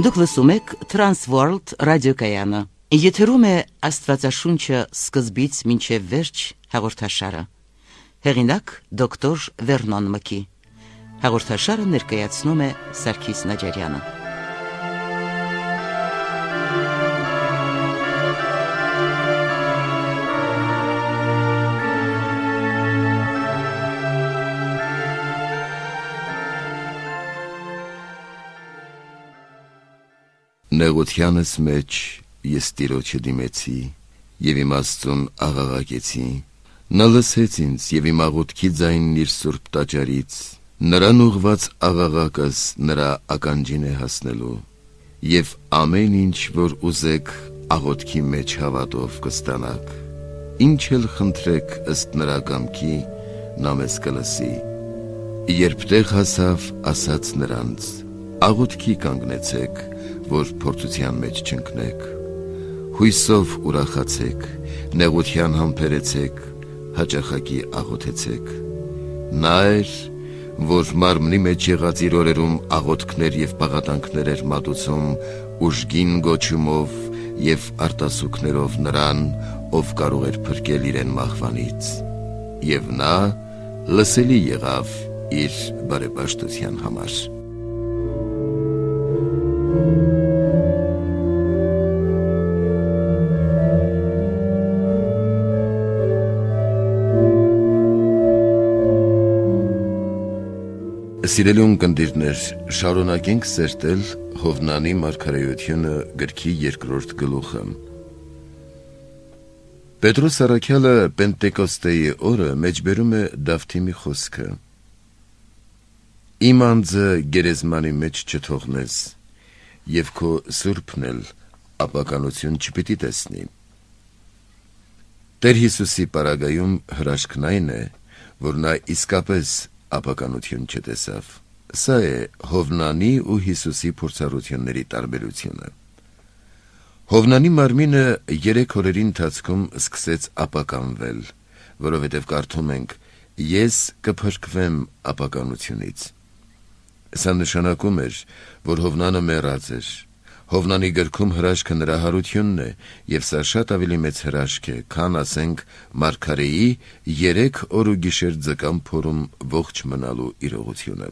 Դուք լսում եք Transworld ռադիոկայանը։ Եթերում է Աստվածաշունչը սկզբից մինչև վերջ հաղորդաշարը։ Հեղինակ դոկտոր Վերնոն Մկի։ Հաղորդաշարը ներկայացնում է Սարգիս Նաջարյանը։ Նեղությանս մեջ ես Տիրոջը դիմեցի և իմ Աստծուն աղաղակեցի, նա լսեց ինձ և իմ աղոթքի ձայնն իր սուրբ տաճարից, նրան ուղղված աղաղակս նրա ականջին է հասնելու, և ամեն ինչ, որ ուզեք աղոթքի մեջ հավատով կստանաք, ինչ էլ խնդրեք ըստ նրա կամքի, նա մեզ կլսի։ Երբ տեղ հասավ, ասաց նրանց. աղոթքի կանգնեցեք, որ փորձության մեջ չընկնեք, հույսով ուրախացեք, նեղության համբերեցեք, հաճախակի աղոթեցեք։ Նա էր, որ մարմնի մեջ եղած իր օրերում աղոթքներ և պաղատանքներ էր մատուցում ուժգին գոչումով և արտասուքներով նրան, ով կարող էր փրկել իրեն մահվանից, և նա լսելի եղավ իր բարեպաշտության համար։ Սիրելի ունկնդիրներ, շարունակենք սերտել Հովնանի մարգարեությունը գրքի 2-րդ գլուխը։ Պետրոս առաքյալը Պենտեկոստեի օրը մեջբերում է Դավթի մի խոսքը. Իմ անձը գերեզմանի մեջ չթողնես, և քո սուրբն էլ ապականություն չպիտի տեսնի։ Տեր Հիսուսի պարագայում հրաշքն այն է, որ նա իսկապես ապականություն չտեսավ։ Սա է Հովնանի ու Հիսուսի փորձառությունների տարբերությունը։ Հովնանի մարմինը 3 օրերի ընթացքում սկսեց ապականվել, որովհետև կարդում ենք. ես կփրկվեմ ապականությունից։ Սա նշանակում էր, որ Հովնանը մեռած էր։ Հովնանի գրքում հրաշքը նրա հարությունն է, և սա շատ ավելի մեծ հրաշք է, քան ասենք մարգարեի 3 օր ու գիշեր ձկան փորում ողջ մնալու իրողությունը։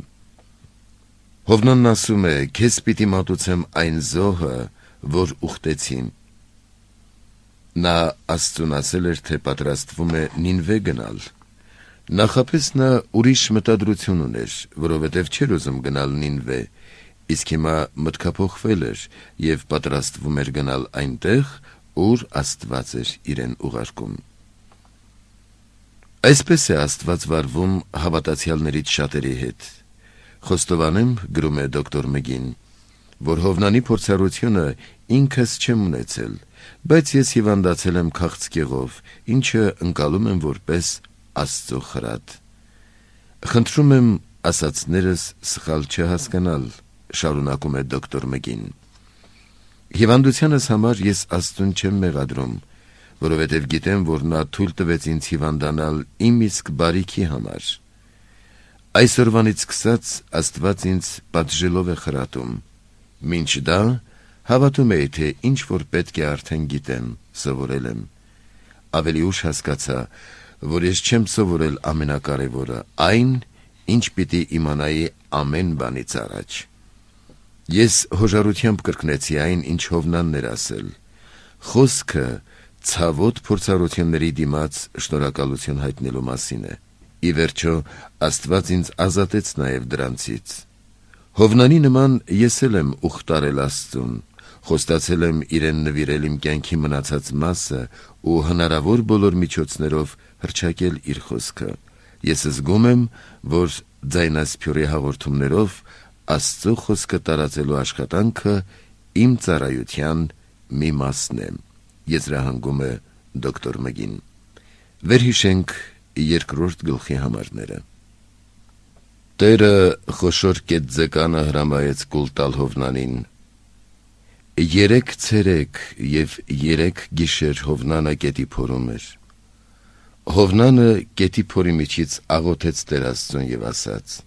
Հովնանն ասում է. քեզ պիտի մատուցեմ այն զոհը, որ ուխտեցի։ Նա Աստծուն ասել էր, թե պատրաստվում է Նինվե գնալ։ Նախապես նա ուրիշ մտադրություն ուներ, որովհետև չէր ուզում գնալ Նինվե, իսկ հիմա մտքափոխվել էր և պատրաստվում էր գնալ այնտեղ, ուր Աստված էր իրեն ուղարկում։ Այսպես է Աստված վարվում հավատացյալներից շատերի հետ։ Խոստովանեմ, գրում է դոկտոր Մգին, որ Հովնանի փորձառությունը ինքս չեմ ունեցել, բայց ես հիվանդացել եմ քաղցկեղով, ինչը ընկալում եմ որպես Աստծո խրատ։ Խնդրում եմ ասածներս սխալ չհասկանալ, շարունակում է դոկտոր Մգին։ Հիվանդությանս համար ես Աստծուն չեմ մեղադրում, որովհետև գիտեմ, որ նա թույլ տվեց ինձ հիվանդանալ իմ իսկ բարիքի համար։ Այսօրվանից սկսած Աստված ինձ պատժելով է խրատում։ Մինչ դա հավատում էի, թե ինչ որ պետք է արդեն գիտեմ, սովորել եմ։ Ավելի ուշ հասկացա, որ ես չեմ սովորել ամենակարևորը, այն, ինչ պիտի իմանայի ամեն բանից առաջ։ Ես հոժարությամբ կրկնեցի այն, ինչ Հովնանն էր ասել. խոսքը ցավոտ փորձառությունների դիմաց շնորհակալություն հայտնելու մասին է։ Ի վերջո, Աստված ինձ ազատեց նաև դրանցից։ Հովնանի նման ես էլ եմ ուխտարել Աստծուն, խոստացել եմ իրեն նվիրել իմ կյանքի մնացած մասը ու հնարավոր բոլոր միջոցներով հռչակել իր խոսքը։ Ես զգում եմ, որ ձայնասփյուռի հաղորդումներով Աստծո խոսքը տարածելու աշխատանքը իմ ծառայության մի մասն է։ Եզրահանգում է դոկտոր Մգին։ Վերհիշենք 2-րդ գլխի համարները։ Տերը խոշոր կետ ձկանը հրամայեց կուլ տալ Հովնանին։ 3 ցերեկ և 3 գիշեր Հովնանը կետի փորում էր։ Հովնանը կետի փորի միջից աղոթեց Տեր Աստծուն և ասաց.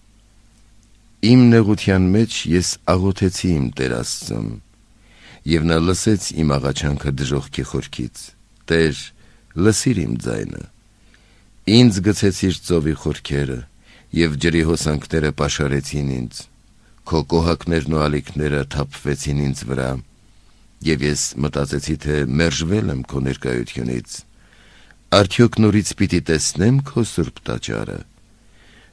Իմ նեղության մեջ ես աղոթեցի իմ Տեր Աստծուն, եւ նա լսեց իմ աղաչանքը դժոխքի խորքից. Տեր, լսիր իմ ձայնը։ Ինձ գցեցիր ծովի խորքերը, եւ ջրի հոսանքները պաշարեցին ինձ, քո կոհակներն ու ալիքները թափվեցին ինձ վրա, եւ ես մտածեցի, թե մերժվել եմ քո ներկայությունից։ Արդյոք նորից պիտի տեսնեմ քո սուրբ տաճարը։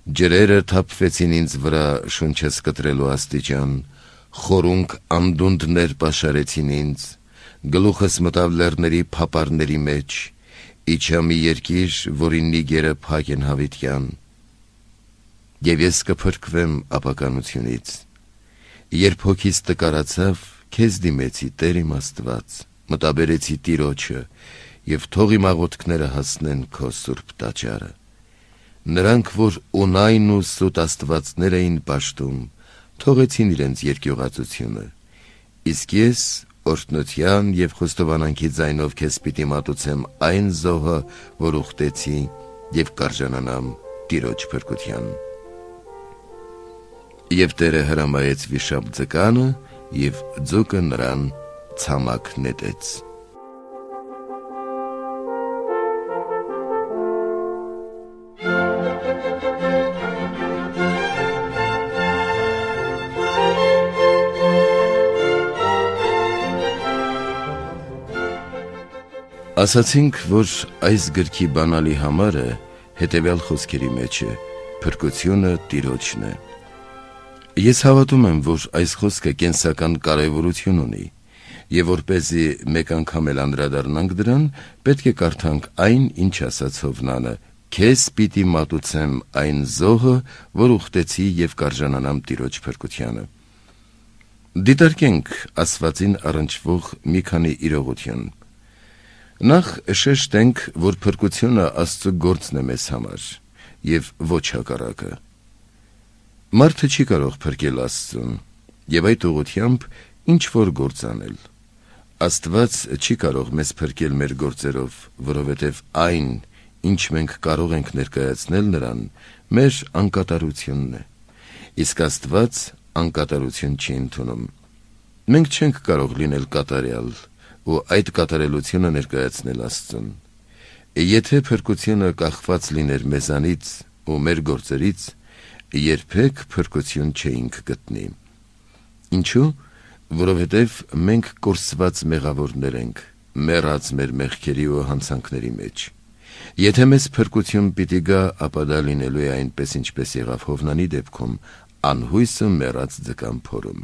Ջրերը թափվեցին ինձ վրա շունչս կտրելու աստիճան, խորունկ անդունդներ պաշարեցին ինձ, գլուխս մտավ լեռների փապարների մեջ, իջա մի երկիր, որի նիգերը փակ են հավիտյան։ Եվ ես կփրկվեմ ապականությունից։ Երբ հոգիս տկարացավ, քեզ դիմեցի, Տեր իմ Աստված, մտաբերեցի Տիրոջը, եւ թող իմ աղոթքները հասնեն քո սուրբ տաճարը։ Նրանք, որ ունայն ու սուտ աստվածներ էին պաշտում, թողեցին իրենց երկյուղածությունը, իսկ ես օրհնության եւ խոստովանանքի ձայնով քեզ պիտի մատուցեմ այն զոհը, որ ուխտեցի, եւ կարժանանամ Տիրոջ փրկության։ Եվ Տերը հրամայեց վիշապ ձկանը, եւ ձուկը նրան ցամաք նետեց։ Ասացինք, որ այս գրքի բանալի համարը հետևյալ խոսքերի մեջ է. փրկությունը Տիրոջն է։ Ես հավատում եմ, որ այս խոսքը կենսական կարևորություն ունի, եւ որպեսզի մեկ անգամ էլ անդրադառնանք դրան, պետք է կարդանք այն, ինչ ասաց Հովնանը. քեզ պիտի մատուցեմ այն զոհը, որ ուխտեցի եւ կարժանանամ Տիրոջ փրկությանը։ Դիտարկենք ասվածին առնչվող մի քանի իրողություն։ Նախ շեշտենք, որ փրկությունը Աստծո գործն է մեզ համար, եւ ոչ հակառակը։ Մարդը չի կարող փրկել Աստծուն, եւ այդ ուղղությամբ ինչ որ գործ անել։ Աստված չի կարող մեզ փրկել մեր գործերով, որովհետեւ այն, ինչ մենք կարող ենք ներկայացնել նրան, մեր անկատարությունն է։ Իսկ Աստված անկատարություն չի ընդունում։ Մենք չենք կարող լինել կատարյալ ու այդ կատարելությունը ներկայացնել Աստծուն։ Եթե փրկությունը կախված լիներ մեզանից ու մեր գործերից, երբեք փրկություն չէինք գտնի։ Ինչու՞։ Որովհետև մենք կորսված մեղավորներ ենք, մեռած մեր մեղքերի ու հանցանքների մեջ։ Եթե մեզ փրկություն պիտի գա, ապա դա լինելու է այնպես, ինչպես եղավ Հովնանի դեպքում, անհույսը մեռած ձկան փորում։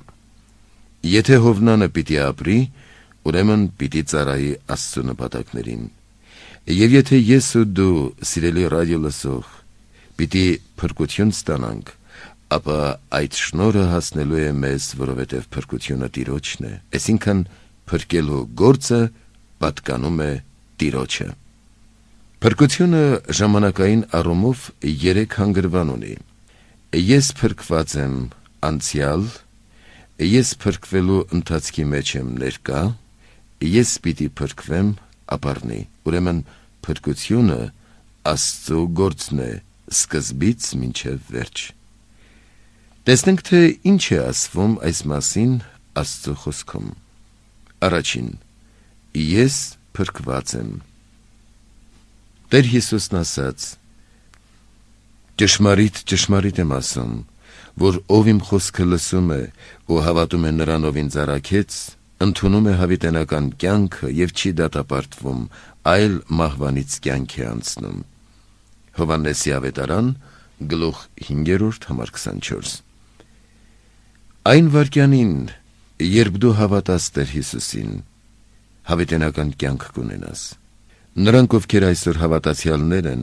Եթե Հովնանը պիտի ապրի, ուրեմն պիտի ծառայի Աստծո նպատակներին։ Եվ եթե ես ու դու, սիրելի ռադիո լսող, պիտի փրկություն ստանանք, ապա այդ շնորհը հասնելու է մեզ, որովհետև փրկությունը Տիրոջն է, այսինքն փրկելու գործը պատկանում է Տիրոջը։ Փրկությունը ժամանակային առումով 3 հանգրվան ունի։ Ես փրկված եմ անցյալ, ես փրկվելու ընթացքի մեջ եմ ներկա, ես պիտի փրկվեմ ապառնի։ Ուրեմն փրկությունը Աստծո գործն է սկզբից մինչև վերջ։ Տեսնենք, թե ինչ է ասվում այս մասին Աստծո խոսքում։ Առաջին. ես փրկված եմ։ Տեր Հիսուսն ասաց. ճշմարիտ, ճշմարիտ եմ ասում, որ ով իմ խոսքը լսում է ու հավատում է նրան, ով ինձ առաքեց, ընդունում է հավիտենական կյանքը եւ չի դատապարտվում, այլ մահվանից կյանք է անցնում։ Հովհաննեսի ավետարան, գլուխ 5:24։ Այն վայրկյանին, երբ դու հավատաս Տեր Հիսուսին, հավիտենական կյանք կունենաս։ Նրանք, ովքեր այսօր հավատացյալներ են,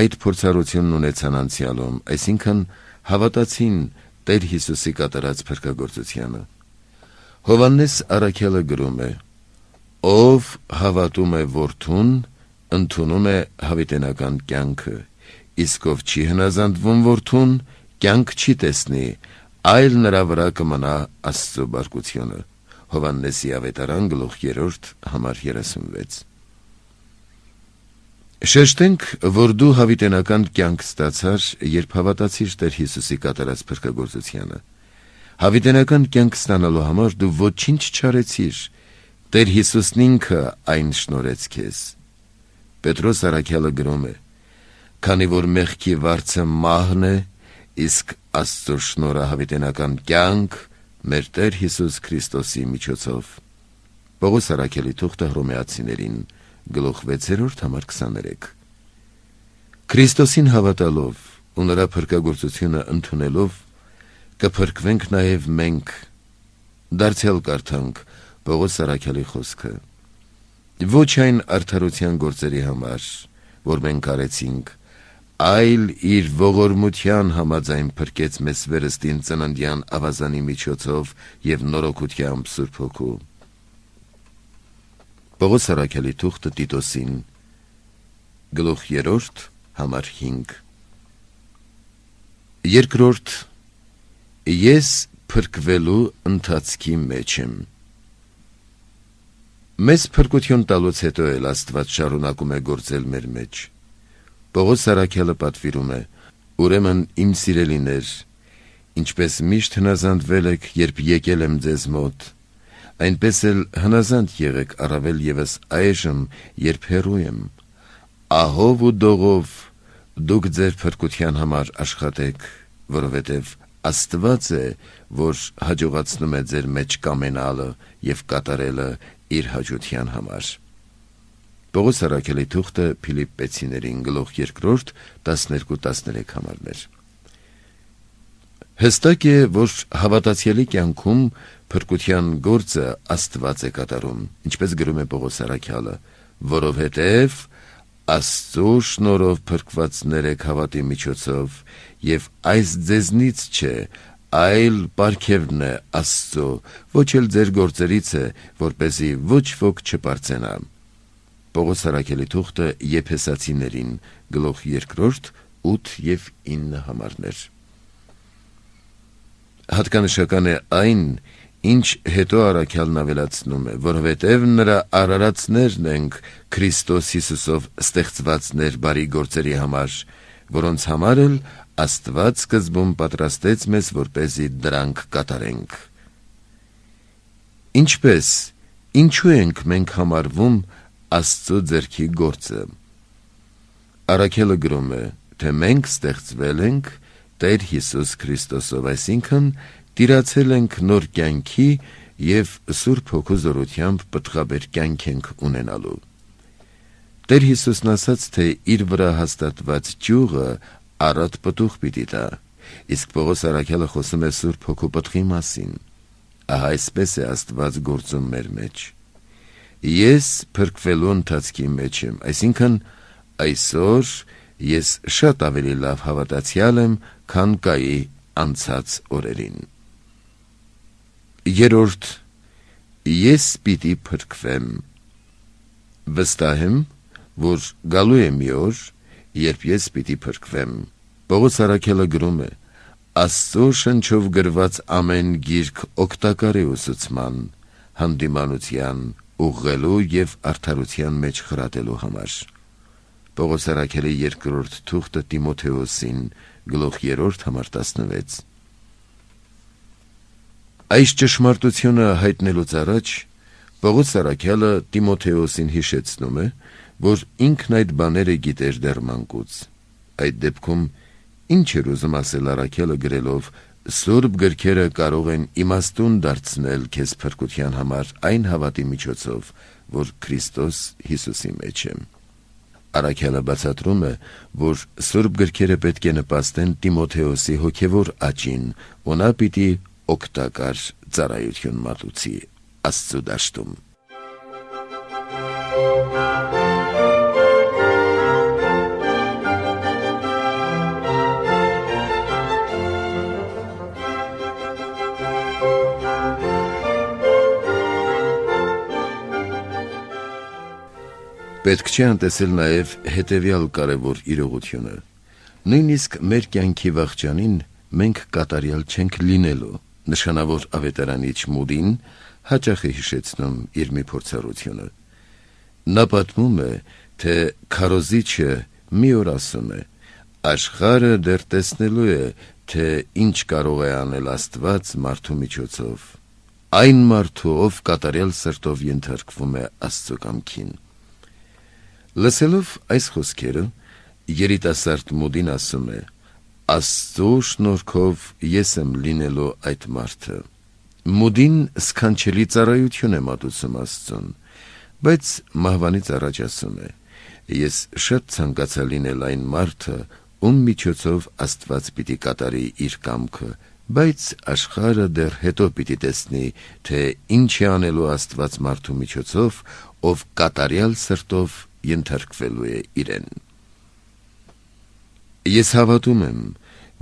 այդ փորձառությունն ունեցան անցյալում, այսինքն հավատացին Տեր Հիսուսի կատարած փրկագործությանը։ Հովհաննես առաքյալը գրում է. ով հավատում է Որդուն, ընդունում է հավիտենական կյանքը, իսկ ով չի հնազանդվում Որդուն, կյանք չի տեսնի, այլ նրա վրա կմնա Աստծո բարկությունը։ Հովհաննեսի ավետարան, գլուխ 3, համար 36։ Շեշտենք, որ դու հավիտենական կյանք ստացար, երբ հավատացիր Տեր Հիսուսի կատարած փրկագործությանը։ Հավիտենական կյանք ստանալու համար դու ոչինչ չարեցիր, Տեր Հիսուսն ինքը այն շնորհեց քեզ։ Պետրոս առաքյալը գրում է. «Քանի որ մեղքի վարձը մահն է, իսկ Աստծո շնորհը հավիտենական կյանք մեր Տեր Հիսուս Քրիստոսի միջոցով»։ Պողոս առաքյալի թուղթը Հռոմեացիներին, գլուխ 6:23։ Քրիստոսին հավատալով ու նրա փրկագործությունը ընդունելով կփրկվենք նաև մենք։ Դարձյալ կարդանք Պողոս առաքյալի խոսքը. «Ոչ այն արդարության գործերի համար, որ մենք արեցինք, այլ իր ողորմության համաձայն փրկեց մեզ վերստին ծննդյան ավազանի միջոցով և նորոգությամբ Սուրբ Հոգու»։ Պողոս առաքյալի թուղթը Տիտոսին, գլուխ 3, համար 5։ Երկրորդ, ես փրկվելու ընթացքի մեջ եմ։ Մեզ փրկություն տալուց հետո էլ Աստված շարունակում է գործել մեր մեջ։ Պողոս առաքյալը պատվիրում է. «Ուրեմն իմ սիրելիներ, ինչպես միշտ հնազանդվել եք, երբ եկել եմ ձեզ մոտ, այնպես էլ հնազանդ եղեք առավել ևս այժմ, երբ հեռու եմ։ Ահով ու դողով դուք ձեր փրկության համար աշխատեք, որովհետև Աստված է, որ հաջողացնում է ձեր մեջ կամենալը և կատարելը իր հաճության համար»։ Պողոս առաքյալի թուղթը Փիլիպպեցիներին, գլուխ 2, 12-13 համարներ։ Հստակ է, որ հավատացյալի կյանքում փրկության գործը Աստված է կատարում, ինչպես գրում է Պողոս առաքյալը, որովհետև Աստծո շնորհով փրկվածներ եք հավատի միջոցով, և այս ձեզնից չէ, այլ պարգևն է Աստծո, ոչ էլ ձեր գործերից է, որպեսզի ոչ ոք չպարծենա։ Պողոս առաքյալի թուղթը Եփեսացիներին, գլուխ 2, 8 և 9 համարներ։ Հատկանշական է այն, ինչ հետո առաքյալն ավելացնում է, որովհետև նրա արարածներն ենք Քրիստոս Հիսուսով ստեղծվածներ բարի գործերի համար, որոնց համար էլ Աստված սկզբում պատրաստեց մեզ, որպեսզի դրանք կատարենք։ Ինչպես, ինչու ենք մենք համարվում Աստծո ձեռքի գործը։ Առաքյալը գրում է, թե մենք ստեղծվել ենք Տեր Հիսուս Քրիստոսով, այսինքն տիրացել ենք նոր կյանքի և Սուրբ Հոգու զորությամբ պտղաբեր կյանք ենք ունենալու։ Տեր Հիսուսն ասաց, թե իր վրա հաստատված ճյուղը առատ պտուղ պիտի տա, իսկ Պողոս առաքյալը խոսում է Սուրբ Հոգու պտղի մասին։ Ահա այսպես է Աստված գործում մեր մեջ։ Ես փրկվելու ընթացքի մեջ եմ, այսինքն այսօր ես շատ ավելի լավ հավատացյալ եմ, քան կայի անցած օրերին։ Երրորդ, ես պիտի փրկվեմ։ Վստահ եմ, որ գալու է մի օր, երբ ես պիտի փրկվեմ։ Պողոս առաքյալը գրում է. Աստծո շնչով գրված ամեն գիրք օգտակար է ուսուցման, հանդիմանության, ուղղելու և արդարության մեջ խրատելու համար։ Պողոս առաքյալի երկրորդ թուղթը Տիմոթեոսին, գլուխ 3, համար 16։ Այս ճշմարտությունը հայտնելուց առաջ Պողոս առաքյալը Տիմոթեոսին հիշեցնում է, որ ինքն այդ բաները գիտեր դեռ մանկուց։ Այդ դեպքում ինչ էր ուզում ասել առաքյալը գրելով. Սուրբ գրքերը կարող են իմաստուն դարձնել քեզ փրկության համար այն հավատի միջոցով, որ Քրիստոս Հիսուսի մեջ է։ Առաքյալը բացատրում է, որ Սուրբ գրքերը պետք է նպաստեն Տիմոթեոսի հոգևոր աճին, ու նա պիտի օգտակար ծառայություն մատուցի Աստծո դաշտում։ Պետք չէ անտեսել նաև հետևյալ կարևոր իրողությունը։ Նույնիսկ մեր կյանքի վախճանին մենք կատարյալ չենք լինելու։ Նշանավոր ավետարանիչ Մուդին հաճախ է հիշեցնում իր մի փորձառությունը։ Նա պատմում է, թե քարոզիչը մի օր ասում է. աշխարհը դեռ տեսնելու է, թե ինչ կարող է անել Աստված մարդու միջոցով, այն մարդու, ով կատարյալ սրտով ենթարկվում է Աստծո կամքին։ Լսելով այս խոսքերը, երիտասարդ Մուդին ասում է. Աստծո շնորհքով ես եմ լինելու այդ մարդը։ Մուդին սքանչելի ծառայություն է մատուցում Աստծուն, բայց մահվանից առաջ ասում է. ես շատ ցանկացա լինել այն մարդը, ում միջոցով Աստված պիտի կատարի իր կամքը, բայց աշխարհը դեռ հետո պիտի տեսնի, թե ինչ է անելու Աստված մարդու միջոցով, ով կատարյալ սրտով ենթարկվելու է իրեն։ Ես հավատում եմ,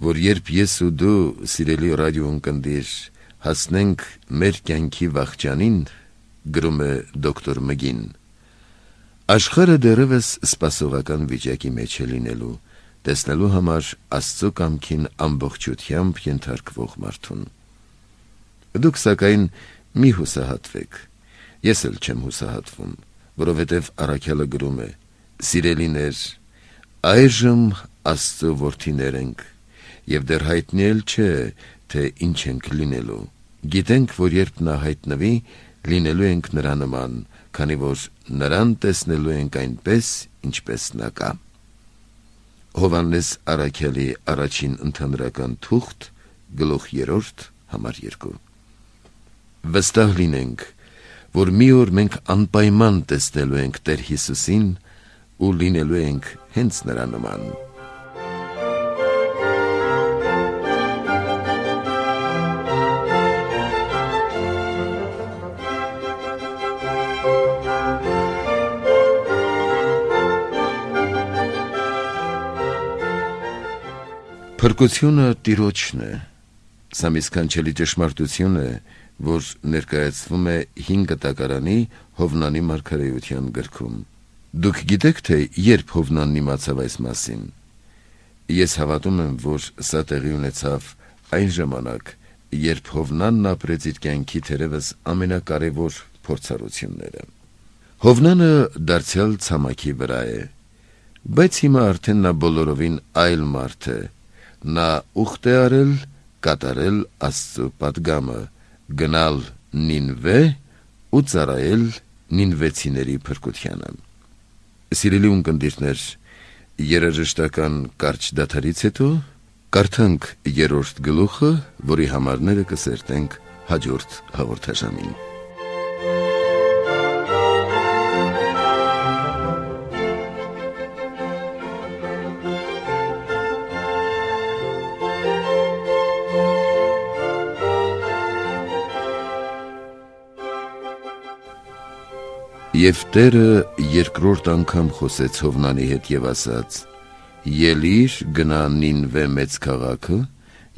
որ երբ ես ու դու, սիրելի ռադիոընկերներ, հասնենք մեր կյանքի վախճանին, գրում է դոկտոր Մգին, աշխարհը դեռևս սպասողական վիճակի մեջ է լինելու, տեսնելու համար Աստծո կամքին ամբողջությամբ ենթարկվող մարդուն։ Դուք սակայն մի հուսահատվեք, ես էլ չեմ հուսահատվում, որովհետև առաքյալը գրում է. սիրելիներ, այժմ Աստծո որդիներ ենք, և դեռ հայտնի էլ չէ, թե ինչ ենք լինելու, գիտենք, որ երբ նա հայտնվի, լինելու ենք նրա նման, քանի որ նրան տեսնելու ենք այնպես, ինչպես նա կա։ Հովհաննես առաքյալի առաջին ընդհանրական թուղթ, գլուխ 3, համար 2։ Վստահ լինենք, որ մի օր մենք անպայման տեսնելու ենք Տեր Հիսուսին ու լինելու ենք հենց նրա նման։ Փրկությունը Տիրոջն է։ Սա մի սքանչելի ճշմարտություն է, որ ներկայացվում է 5 տակարանի Հովնանի մարգարեության գրքում։ Դուք գիտեք, թե երբ Հովնանն իմացավ այս մասին։ Ես հավատում եմ, որ սա տեղի ունեցավ այն ժամանակ, երբ Հովնանն ապրեց իր կյանքի թերևս ամենակարևոր փորձառությունները։ Հովնանը դարձյալ ցամաքի վրա է, բայց հիմա արդեն նա բոլորովին այլ մարդ է։ Նա ուխտ է արել կատարել Աստծո պատգամը, գնալ Նինվե ու ծառայել նինվեցիների փրկությանը։ Սիրելի ունկնդիրներ, երաժշտական կարճ դադարից հետո կարդանք 3-րդ գլուխը, որի համարները կսերտենք հաջորդ հաղորդաշամին։ Եվ Տերը երկրորդ անգամ խոսեց Հովնանի հետ և ասաց. «Ելիր, գնա Նինվե մեծ քաղաքը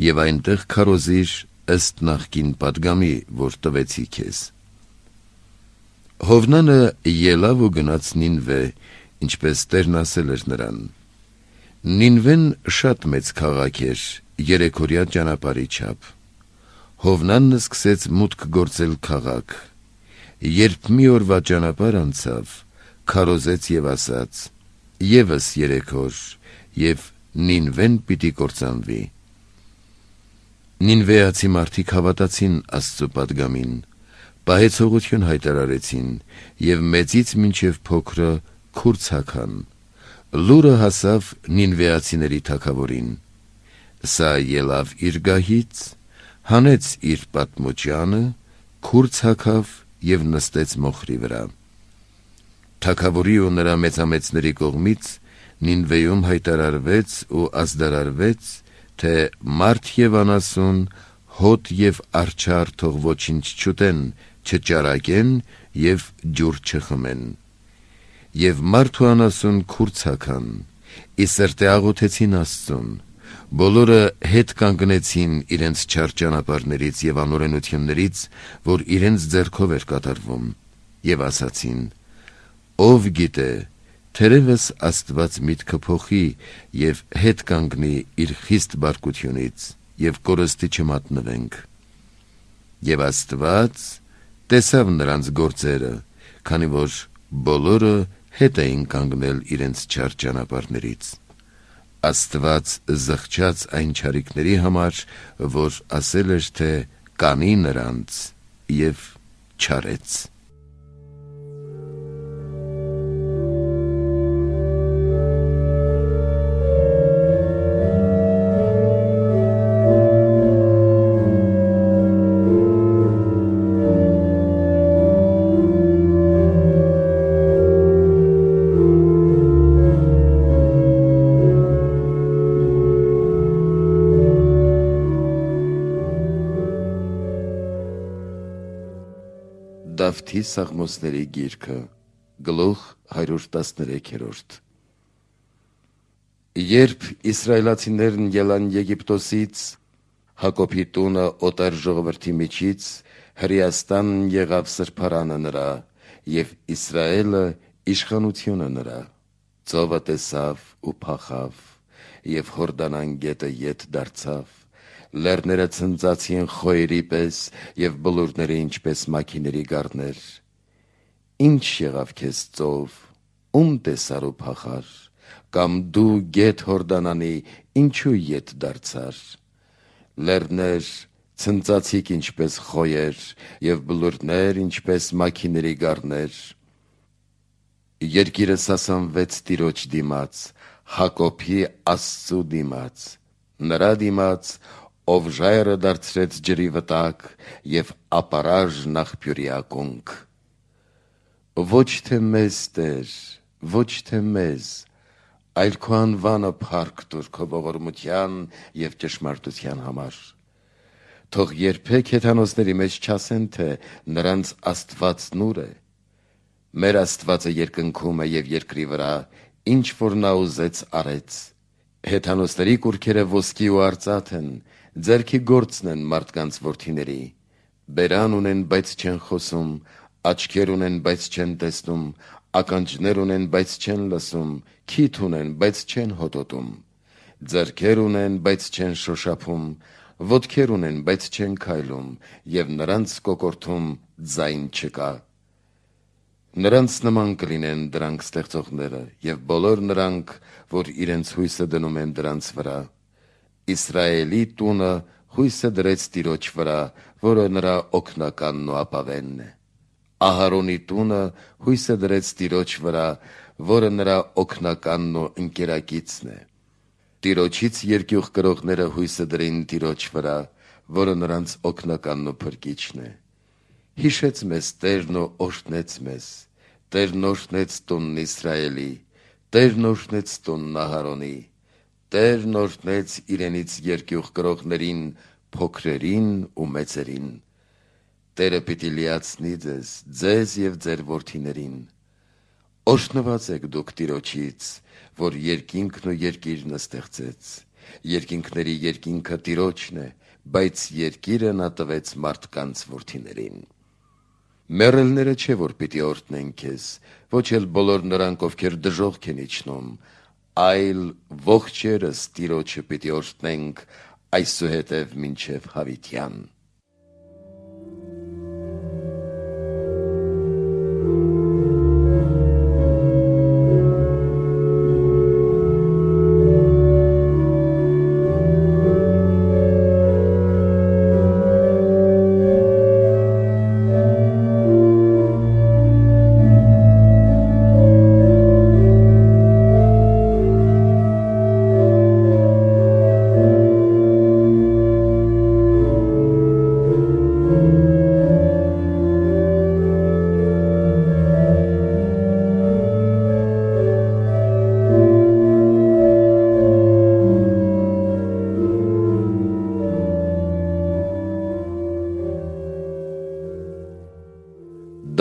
և այնտեղ քարոզիր ըստ նախկին պատգամի, որ տվեցի քեզ»։ Հովնանը ելավ ու գնաց Նինվե, ինչպես Տերն ասել էր նրան։ Նինվեն շատ մեծ քաղաք էր, 3-օրյա ճանապարհի չափ։ Հովնանն սկսեց մուտք գործել քաղաք։ Երբ մի օրվա ճանապարհ անցավ, քարոզեց և ասաց. «Եվս 3 օր, և Նինվեն պիտի կործանվի»։ Նինվեացի մարդիկ հավատացին Աստծո պատգամին, պահեցողություն հայտարարեցին և մեծից մինչև փոքրը քուր ցաքան։ Լուրը հասավ նինվեացիների թագավորին։ Սա ելավ իր գահից, հանեց իր պատմոճյանը, քուր ցաքավ և նստեց մոխրի վրա։ Թագավորի ու նրա մեծամեծների կողմից Նինվեում հայտարարվեց ու ազդարարվեց, թե մարդ և անասուն, հոտ և արջառ թող ոչինչ չուտեն, չճարակեն և ջուր չխմեն։ Եվ մարդ ու անասուն քուր ցաքան, ի սրտե աղոթեցին Աստծուն, բոլորը հետ կանգնեցին իրենց չար ճանապարհներից և անօրենություններից, որ իրենց ձեռքով էր կատարվում, և ասացին. «Ով գիտե, թերևս Աստված միտքը փոխի և հետ կանգնի իր խիստ բարկությունից, և կորստի չմատնվենք»։ Եվ Աստված տեսավ նրանց գործերը, քանի որ բոլորը հետ էին կանգնել իրենց չար ճանապարհներից։ Աստված զղջաց այն չարիքների համար, որ ասել էր, թե կանի նրանց և չարեց։ Դավթի Սաղմոսների գիրքը, գլուխ 113։ Երբ իսրայելացիներն ելան Եգիպտոսից, Հակոբի տունը օտար ժողովրդի միջից Հրեաստանն եղավ սրբարանը նրա, և Իսրայելը իշխանությունը նրա։ Ծովը տեսավ ու փախավ, և Հորդանան գետը ետ դարձավ, լեռները ցնծացին խոյերի պես և բլուրները ինչպես մաքիների գառներ։ Ինչ եղավ քեզ ծով, ում տեսար ու փախար, կամ դու գետ Հորդանանի ինչու ետ դարձար։ Լեռներ ցնծացիք ինչպես խոյեր, և բլուրներ ինչպես մաքիների գառներ։ Երկիրը սասանվեց Տիրոջ դիմաց, Հակոբի Աստծու դիմաց, նրա դիմաց, ով ժայռը դարձրեց ջրի վտակ և ապարաժն աղբյուրի ակունք։ Ոչ թե մեզ, Տեր, ոչ թե մեզ, այլ քո անվանը փառք տուր քո ողորմության և ճշմարտության համար։ Թող երբեք հեթանոսների մեջ չասեն, թե նրանց Աստվածն ուր է։ Մեր Աստվածը երկնքում է և երկրի վրա, ինչ որ նա ուզեց արեց։ Հեթանոսների կուռքերը ոսկի ու արծաթ են, ձեռքի գործն են մարդկանց որդիների։ Բերան ունեն, բայց չեն խոսում, աչքեր ունեն, բայց չեն տեսնում, ականջներ ունեն, բայց չեն լսում, քիթ ունեն, բայց չեն հոտոտում, ձեռքեր ունեն, բայց չեն շոշափում, ոտքեր ունեն, բայց չեն քայլում, և նրանց կոկորդում ձայն չկա։ Նրանց նման կլինեն դրանք ստեղծողները և բոլոր նրանք, որ իրենց հույսը դնում են դրանց վրա։ Իսրայելի տունը հույսը դրեց Տիրոջ վրա, որը նրա օգնականն ու ապավենն է։ Ահարոնի տունը հույսը դրեց Տիրոջ վրա, որը նրա օգնականն ու ընկերակիցն է։ Տիրոջից երկյուղ կրողները հույսը դրին Տիրոջ վրա, որը նրանց օգնականն ու փրկիչն է։ Հիշեց մեզ Տերն ու օրհնեց մեզ, Տերն օրհնեց տունն Իսրայելի, Տերն օրհնեց տունն Ահարոնի, Տերն օրհնեց իրենից երկյուղ կրողներին, փոքրերին ու մեծերին։ Տերը պիտի լիացնի ձեզ և ձեր որդիներին։ Օրհնված եք դուք Տիրոջից, որ երկինքն ու երկիրն ստեղծեց։ Երկինքների երկինքը Տիրոջն է, բայց երկիրը նա տվեց մարդկանց որդիներին։ Մեռելները չէ, որ պիտի օրհնեն քեզ, ոչ էլ բոլոր նրանք, ովքեր դժոխք են իջնում, այլ ողջերս Տիրոջը պիտի օրհնենք այսուհետև մինչև հավիտյան։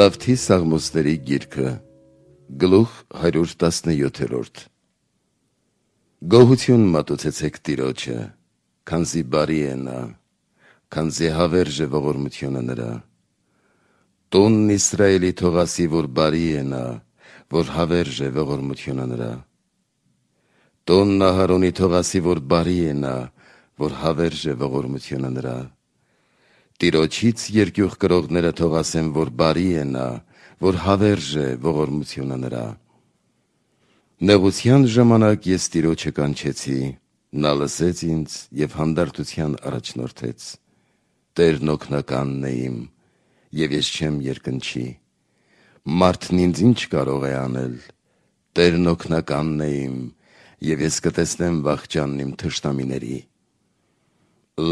Դավթի Սաղմոսների գիրքը, գլուխ 117։ Գոհություն մատուցեցեք Տիրոջը, քանզի բարի է նա, քանզի հավերժ է ողորմությունը նրա։ Տունն Իսրայելի թող ասի, որ բարի է նա, որ հավերժ է ողորմությունը նրա։ Տունն Ահարոնի թող ասի, որ բարի է նա, որ հավերժ է ողորմությունը նրա։ Տիրոջից երկյուղ կրողները թող ասեն, որ բարի է նա, որ հավերժ է ողորմությունը նրա։ Նեղության ժամանակ ես Տիրոջը կանչեցի, նա լսեց ինձ և հանդարտության առաջնորդեց։ Տերն օգնականն է իմ, և ես չեմ երկնչի։ Մարդն ինձ ինչ կարող է անել։ Տերն օգնականն է իմ, և ես կտեսնեմ վախճանն իմ թշնամիների։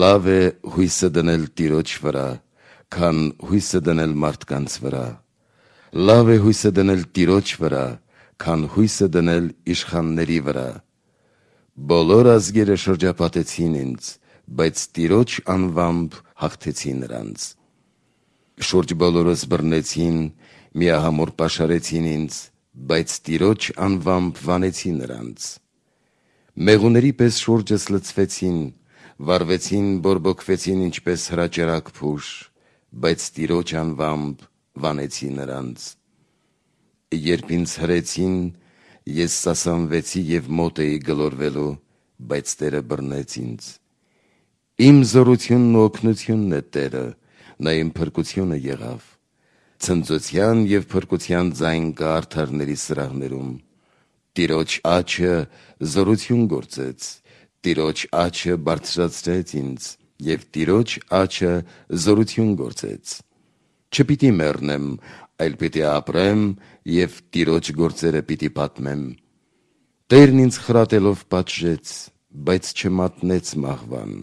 Լավ է հույսը դնել Տիրոջ վրա, քան հույսը դնել մարդկանց վրա։ Լավ է հույսը դնել Տիրոջ վրա, քան հույսը դնել իշխանների վրա։ Բոլոր ազգերը շրջապատեցին ինձ, բայց Տիրոջ անվամբ հաղթեցի նրանց։ Շուրջ բոլորս բռնեցին, միահամուռ պաշարեցին ինձ, բայց Տիրոջ անվամբ վանեցի նրանց։ Մեղուների պես շուրջս լցվեցին, վառվեցին, բորբոքվեցին ինչպես հրաճարակ փուշ, բայց Տիրոջ անվամբ վանեցի նրանց։ Երբ ինձ հրեցին, ես սասանվեցի և մոտ էի գլորվելու, բայց Տերը բռնեց ինձ։ Իմ զորությունն ու օգնությունն է Տերը, նա իմ փրկությունը եղավ։ Ցնծության և փրկության ձայն կա արդարների սրահներում։ Տիրոջ աջը զորություն գործեց, Տիրոջ աջը բարձրացրեց ինձ, և Տիրոջ աջը զորություն գործեց։ Չպիտի մեռնեմ, այլ պիտի ապրեմ և Տիրոջ գործերը պիտի պատմեմ։ Տերն ինձ խրատելով պատժեց, բայց չմատնեց մահվան։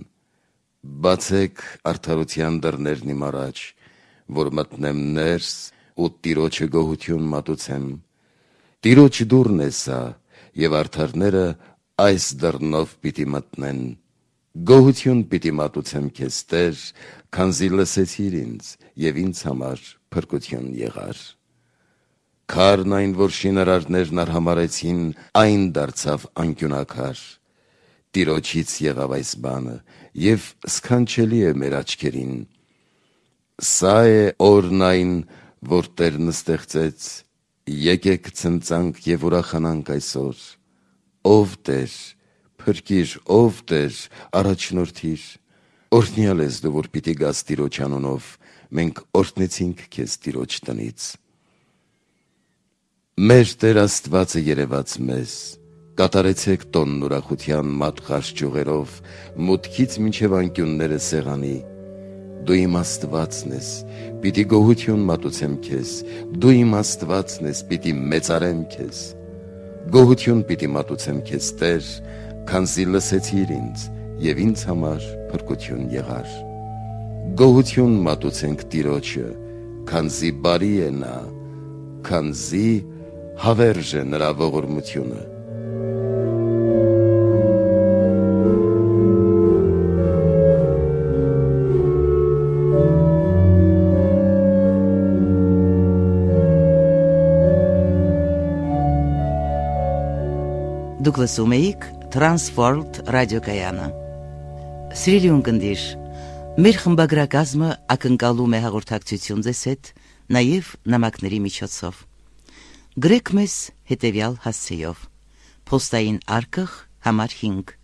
Բացեք արդարության դռներն իմ առաջ, որ մտնեմ ներս ու Տիրոջը գոհություն մատուցեմ։ Տիրոջ դուռն է սա, և արդարները այս դռնով պիտի մտնեն։ Գոհություն պիտի մատուցեմ քեզ, Տեր, քանզի լսեցիր ինձ և ինձ համար փրկություն եղար։ Քարն այն, որ շինարարներն արհամարհեցին, այն դարձավ անկյունակար։ Տիրոջից եղավ այս բանը, և սքանչելի է մեր աչքերին։ Սա է օրն այն, որ Տերն ստեղծեց, եկեք ցնծանք և ուրախանանք այսօր։ Ով Տեր, փրկիր, ով Տեր, առաջնորդիր։ Օրհնյալ ես դու, որ պիտի գաս Տիրոջ անունով, մենք օրհնեցինք քեզ Տիրոջ տնից։ Մեր Տեր Աստվածը երևաց մեզ, կատարեցեք տոնն ուրախության մատղաշ ճյուղերով, մուտքից մինչև անկյունները սեղանի։ Դու իմ Աստվածն ես, պիտի գոհություն մատուցեմ քեզ, դու իմ Աստվածն ես, պիտի մեծարեմ քեզ։ Գոհություն պիտի մատուցեմ քեզ, Տեր, քանզի լսեցիր ինձ և ինձ համար փրկություն եղար։ Գոհություն մատուցենք Տիրոջը, քանզի բարի է նա, քանզի հավերժ է նրա ողորմությունը։ Դուք լսում էիք Transworld ռադիոկայանը։ Սիրելի ունկնդիր, մեր խմբագրակազմը ակնկալում է հաղորդակցություն ձեզ հետ, նաև նամակների միջոցով։ Գրեք մեզ հետևյալ հասցեով. Պոստային արկղ համար 5,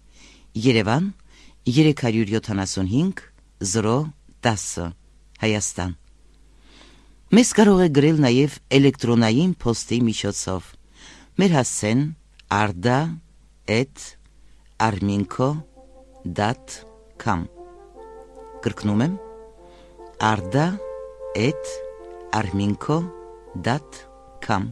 Երևան 375 010, Հայաստան։ Մեզ կարող է գրել նաև էլեկտրոնային պոստի միջոցով։ Մեր հասցեն arda@arminco.com։ Կրկնում եմ arda@arminco.com